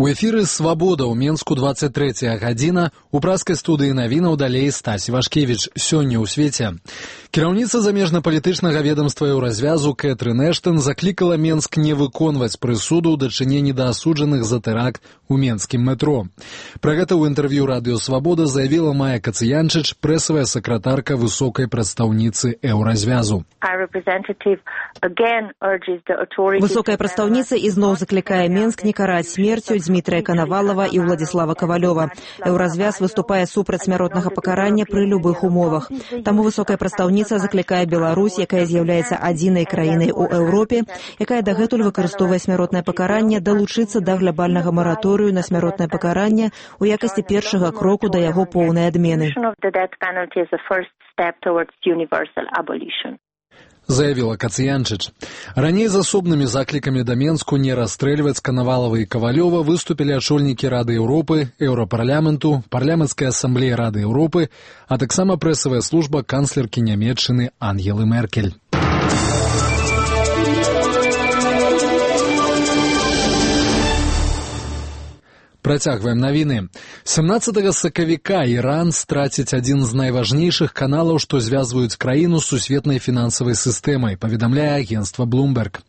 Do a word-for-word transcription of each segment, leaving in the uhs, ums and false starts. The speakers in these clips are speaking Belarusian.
У эфіры «Свабода» ў Менску двадцать трэцяя гадзіна, у праскай студыі навінаў далей Стась Івашкевіч. Сёння ў свеце. Кіраўніца замежна-палітычнага ведомства Еўразвязу Кэтрын Эштон заклікала Менск не выконваць прысуду ў дачыненні да асуджаных за тэракт у менскім метро. Пра гэта ў інтэрв'ю радыё «Свабода» заявіла Майя Кацыянчыч, прэсавая сакратарка высокай прадстаўніцы Еўразвязу. Высокая прадстаўніца ізноў заклікае Менск не караць смерцю Дмітрия Коновалова і Владислава Ковалёва. Еўразвяз выступае супраць смяротнага пакарання пры любых умовах. Таму высокая прадстаўніца заклікае Беларусь, якая з'яўляецца адзінай краінай у Еўропе, якая дагэтуль выкарыстоўвае смяротнае пакаранне, далучыцца да глобальнага мараторыю на смяротнае пакаранне у якасці першага кроку да яго поўнай адмены. Заявила Кацыянчыч. Раней з асобнымі заклікамі да Менску не расстрэльваць Коновалова і Ковалёва выступілі ачольнікі Рады Еўропы, Еўрапарламенту, Парламенцкай асамблеі Рады Еўропы, а таксама прэсавая служба канцлеркі Нямецчыны Ангелы Меркель. Працягваем навіны. сямнаццатага сакавіка Іран страціць адзін з найважнейшых каналаў, што звязваюць краіну з сусветнай фінансавай сістэмай, паведамляе агенцтва Bloomberg.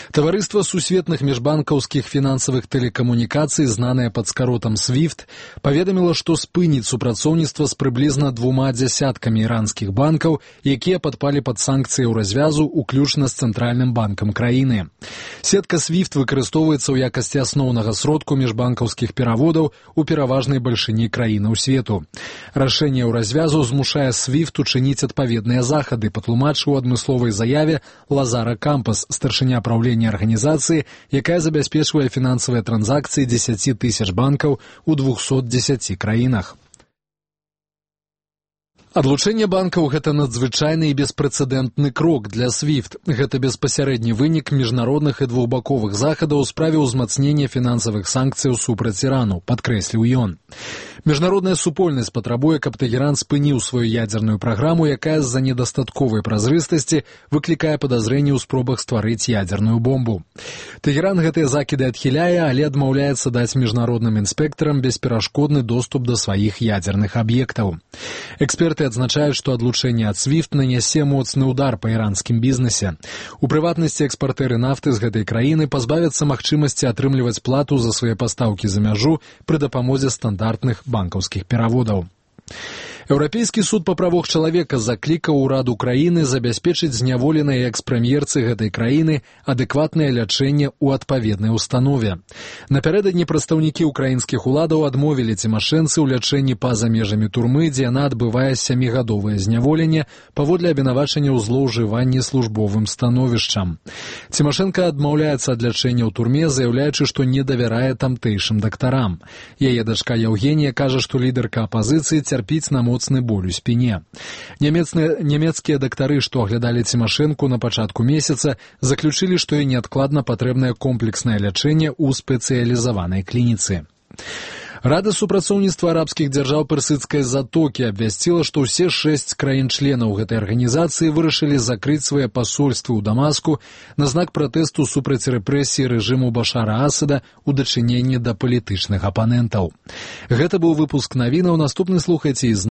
Таварыства сусветных міжбанкаўскіх фінансавых тэлекамунікацый, знанае пад скаротам свіфт, паведаміла, што спыніць супрацоўніцтва з прыблізна двума дзясяткамі іранскіх банкаў, якія падпалі пад санкцыі Еўразвязу, уключна з цэнтральным банкам краіны. Сетка свіфт выкарыстоўваецца ў якасці асноўнага сродку міжбанкаўскіх пераводаў пераводаў у пераважнай бальшыні краінаў свету. Рашэнне Еўразвязу змушае свіфт учыніць адпаведныя захады, патлумачыў у адмысловай заяве Лазара Кампас, старшыня праўлення арганізацыі, якая забяспечвае фінансавыя транзакцыі дзесяці тысяч банкаў у двухсот дзесяці краінах. Адлучэнне банкаў – гэта надзвычайны і беспрэцэдэнтны крок для свіфт. Гэта беспасярэдні вынік міжнародных і двухбаковых захадаў у справе ўзмацнення фінансавых санкцыяў супраць Ірану, падкрэсліў ён. Міжнародная супольнасць патрабуе, каб Тэгеран спыніў сваю ядзерную праграму, якая з-за недастатковай празрыстасці выклікае падазрэнні ў спробах стварыць ядзерную бомбу. Тэгеран гэтыя закіды адхіляе, але адмаўляецца даць міжнародным інспектарам бесперашкодны доступ да сваіх ядзерных аб'ектаў. Эксперты адзначаюць, што адлучэнне ад свіфт нанясе моцны удар па іранскім бізнесе. У прыватнасці экспартэры нафты з гэтай краіны пазбавяцца магчымасці атрымліваць плату за свае пастаўкі за мяжу пры дапамозе стандартных банкаўскіх пераводаў. Еўрапейскі суд па правах чалавека заклікаў урад Украіны забяспечыць зняволенай экс-прэм'ерцы гэтай краіны адэкватнае лячэнне ў адпаведнай установе. Напярэдадні прадстаўнікі украінскіх уладаў адмовілі Цімашэнцы ў лячэнні па-за межамі турмы, дзе яна адбывае сямігадовае зняволенне паводле абвінавачання ў злоўжыванні службовым становішчам. Цімашэнка адмаўляецца ад лячэння ў турме, заяўляючы, што не давярае тамтэйшым дактарам. Яе дачка Яўгенія кажа, што лідарка апазіцыі цярпіць на моцны боль у спіне. Нямецныя, нямецкія дактары, што аглядалі Цімашэнку на пачатку месяца, заключылі, што ёй неадкладна патрэбнае комплекснае лячэнне ў спецыялізаванай клініцы. Рада супрацоўніцтва арабскіх дзяржаў персідскай затокі абвясціла, што ўсе шэсць краін-членаў гэтай арганізацыі вырашылі закрыць свае пасольствы ў Дамаску на знак пратэсту супраць рэпрэсіі рэжыму Башара Асада ў дачыненні да палітычных апанентаў. Гэта быў выпуск навінаў, наступны слухайце і